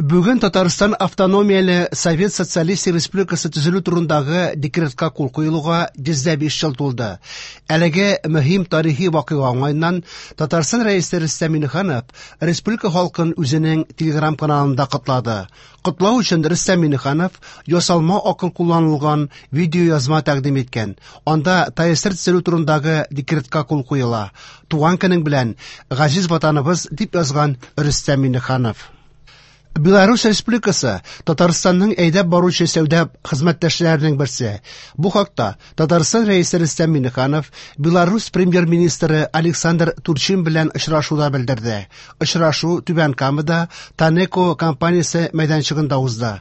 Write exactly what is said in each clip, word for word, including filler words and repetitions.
Бүген Татарстан автономияле Совет Социалистик Республикасы төзелү турындагы декретка кул куелуга йөз дә биш ел тулды. Әлеге мөһим тарихи вакыйга уңаеннан Татарстан Рәисе Рөстәм Миңнеханов республика халкын үзенең Телеграм каналында котлады. Котлау өчен Рөстәм Миңнеханов ясалма акыл кулланылган видеоязма тәкъдим иткән. Анда ТАССР төзелү турындагы декретка кул куела. Туган көнең белән, газиз ватаныбыз, дип язган Рөстәм Миңнеханов. Беларусь Республикасы Татарстанның әйдәп баручы сәүдә хезмәттәшләренең берсе. Бу хакта Татарстан Рәисе Рөстәм Миңнеханов Беларусь премьер-министры Александр Турчин белән очрашуда белдерде. Очрашу Түбән Камада Танеко компаниясе мәйданчыгында узды.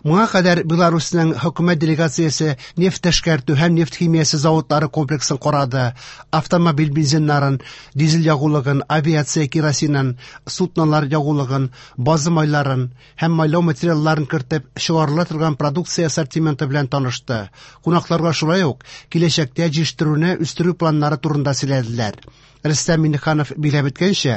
Моңа кадәр Беларусьның хөкүмәт делегациясе нефть эшкәртү һәм нефть химиясе заводлары комплексын карады, автомобиль бензиннарын, дизель ягулыгын, авиация керосинын, суднолар ягулыгын, база майларын һәм майлау материалларын кертеп чыгарыла торган продукция ассортименты белән танышты. Кунакларга шулай ук киләчәктә җитештерүне үстерү планнары турында сөйләделәр. Рөстәм Миңнеханов билгеләп үткәнчә,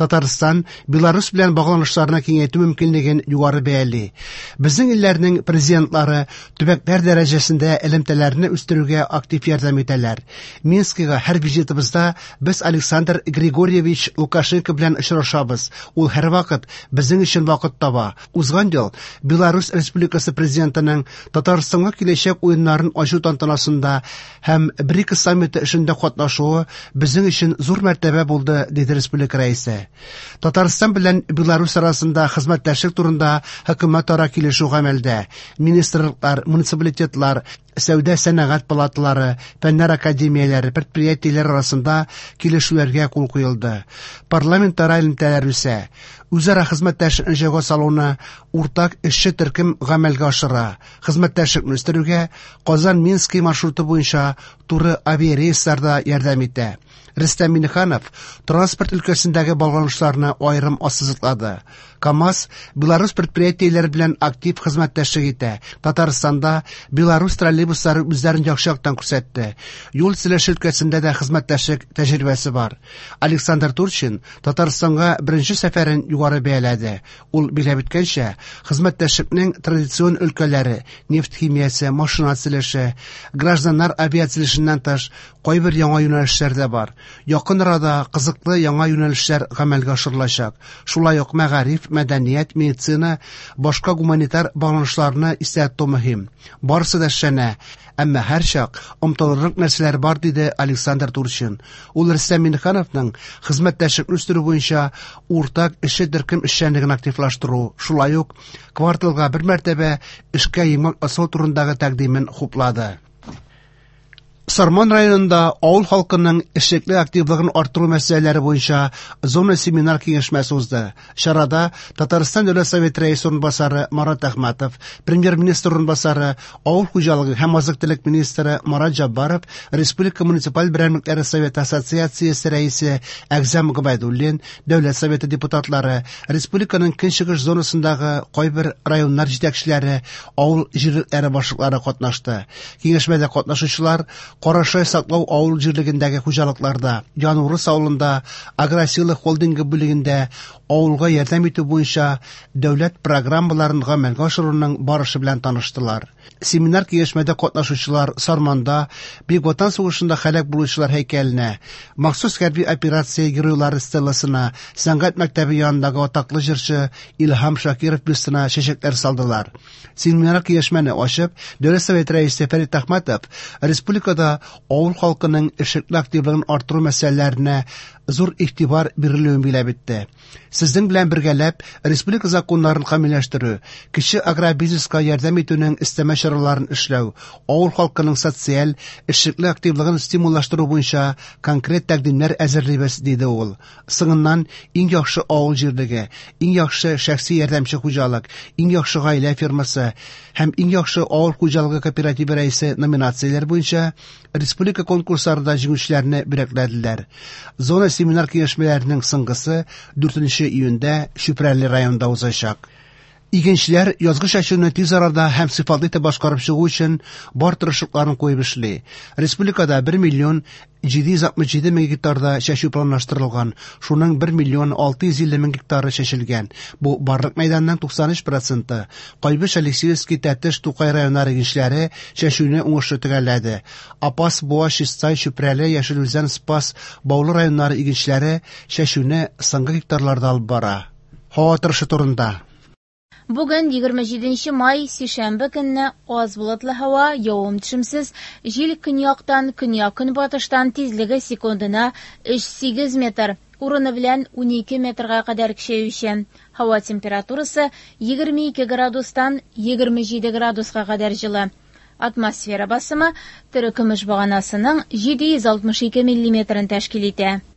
Татарстан Беларусь белән багланышларны киңәйтү мөмкинлеген югары бәяли. Безнең илләрнең президентлары төбәкләр дәрәҗәсендә элемтәләрне үстерүгә актив ярдәм итәләр. Минскига һәр визитыбызда без Александр Григорьевич Лукашенко белән очрашабыз. Ул һәрвакыт безнең өчен вакыт таба. Узган ел Беларусь Республикасы президентының Татарстанга киләчәк уеннарын ачу тантанасында һәм БРИКС саммиты эшендә катнашуы безнең өчен зур мәртәбә булды, диде республика рәисе. Татарстан белән Беларусь арасында хезмәттәшлек турында хөкүмәтара килешү гамәлдә. Министрлыклар, муниципалитетлар, сәүдә сәнәгать палаталары, фәннәр академияләре, предприятиеләр арасында килешүләргә кул куелды. Парламентара элемтәләр үсә. Үзара хезмәттәшлекне җайга салуны уртак эшче төркем гамәлгә ашыра. Хезмәттәшлекне үстерүгә Казан-Минский маршруты буенча туры авиарейслар да ярдәм итә. Рөстәм Миңнеханов транспорт өлкәсендәге багланышларны аерым ассызыклады. КАМАЗ Беларусь предприятиеләре белән актив хезмәттәшлек итә. Татарстанда Беларусь троллейбуслары үзләрен яхшы яктан күрсәтте. Юл төзелеше өлкәсендә дә хезмәттәшлек тәҗрибәсе бар. Александр Турчин Татарстанга беренче сәфәрен югары бәяләде. Ул билгеләп үткәнчә, хезмәттәшлекнең традицион өлкәләре нефть химиясе, машина төзелеше, гражданнар авиациясеннән тыш кайбер яңа юнәлешләр дә бар. Якын арада кызыклы яңа юнәлешләр гамәлгә ашырылачак. Шулай ук мәгариф, мәдәният, медицина, башка гуманитар багланышларны истә тоту мөһим. Барысы да эшләнә, әмма һәрчак омтылырлык нәрсәләр бар, диде Александр Турчин. Ул Рөстәм Миңнехановның хезмәттәшлекне үстерү буенча уртак эшче төркем эшчәнлеген активлаштыру, шулай ук кварталга бер мәртәбә эшкә йомгак ясау турындагы тәкъдимен хуплады. Сарман районында авыл халкының эшлекле активлыгын арттыру мәсьәләләре буенча зона семинар киңәшмәсе узды. Чарада Татарстан Дәүләт Советы рәисе урынбасары Марат Әхмәтов, премьер-министр урынбасары, авыл хуҗалыгы һәм азык-төлек министры Марат Җаббаров, Республика муниципаль берәмлекләре Советы ассоциациясе рәисе Әгъзам Гобәйдуллин, Дәүләт Советы депутатлары, республиканың көнчыгыш зонасындагы кайбер районнар җитәкчеләре, авыл җирлекләре башлыклары катнашты. Киңәшмәдә катнашучылар Карашай саклау авыл җирлегендәге хуҗалыкларда, Янурыс авылында, Агросила холдингы бүлегендә авылга ярдәм итү буенча дәүләт программаларын гамәлгә ашыруның барышы белән таныштылар. Семинар киңәшмәдә катнашучылар Сарманда Бөек Ватан сугышында һәлак булучылар һәйкәленә, махсус хәрби операция геройлары стелласына, сәнгать мәктәбе янындагы атаклы җырчы Илһам Шакиров бюстына чәчәкләр салдылар. Семинар киңәшмәне ачып, Дәүләт Советы рәисе Фәрит Әхмәтов республикада авыл халкының эшлекле активлыгын арттыру мәсьәләләренә зур игътибар бирелүен билгеләп үтте. Сезнең белән бергәләп республика законнарын камилләштерү, кече агробизнеска ярдәм итүнең өстәмә чараларын эшләү, авыл халкының социаль эшлекле активлыгын стимуллаштыру буенча конкрет тәкъдимнәр әзерлибез, диде ул. Соңыннан иң яхшы авыл җирлеге, иң яхшы шәхси ярдәмче хуҗалык, иң яхшы гаилә фермасы һәм иң яхшы авыл хуҗалыгы кооперативы рәисе номинацияләр буенча республика конкурсларында җиңүчеләрне бүләкләделәр. Зона семинар киңәшмәләренең соңгысы дүртенче июньдә Чүпрәле районында узачак. Игенчеләр язгы чәчүне тиз арада һәм сыйфатлы итеп башкарып чыгу өчен бар тырышлыкларын куеп эшли. Республикада бер миллион җиде йөз алтмыш җиде мең гектарда чәчү планлаштырылган, шуның бер миллион алты йөз илле мең гектары чәчелгән. Бу барлык мәйданның туксан өч проценты. Кайбыч, Алексеевский, Тәтеш, Тукай районнары игенчеләре чәчүне уңышлы төгәлләде. Апас, Буа, Чистай, Чүпрәле, Яшел Үзән, Спас, Баулы районнары игенчеләре чәчүне соңгы гектарларда алып бара. Һава торышы турында. Бүген егерме җиденче май, сишәмбе көнне аз болытлы һава, явым-төшемсез, җил көньяктан, көньяк-көнбатыштан тизлеге секундына өч сигез метр, урыны белән унике метрга кадәр көчәюче. Һава температурасы егерме ике градустан егерме җиде градуска кадәр җылы. Атмосфера басымы терекөмеш баганасының җиде йөз алтмыш ике миллиметрын тәшкил итә.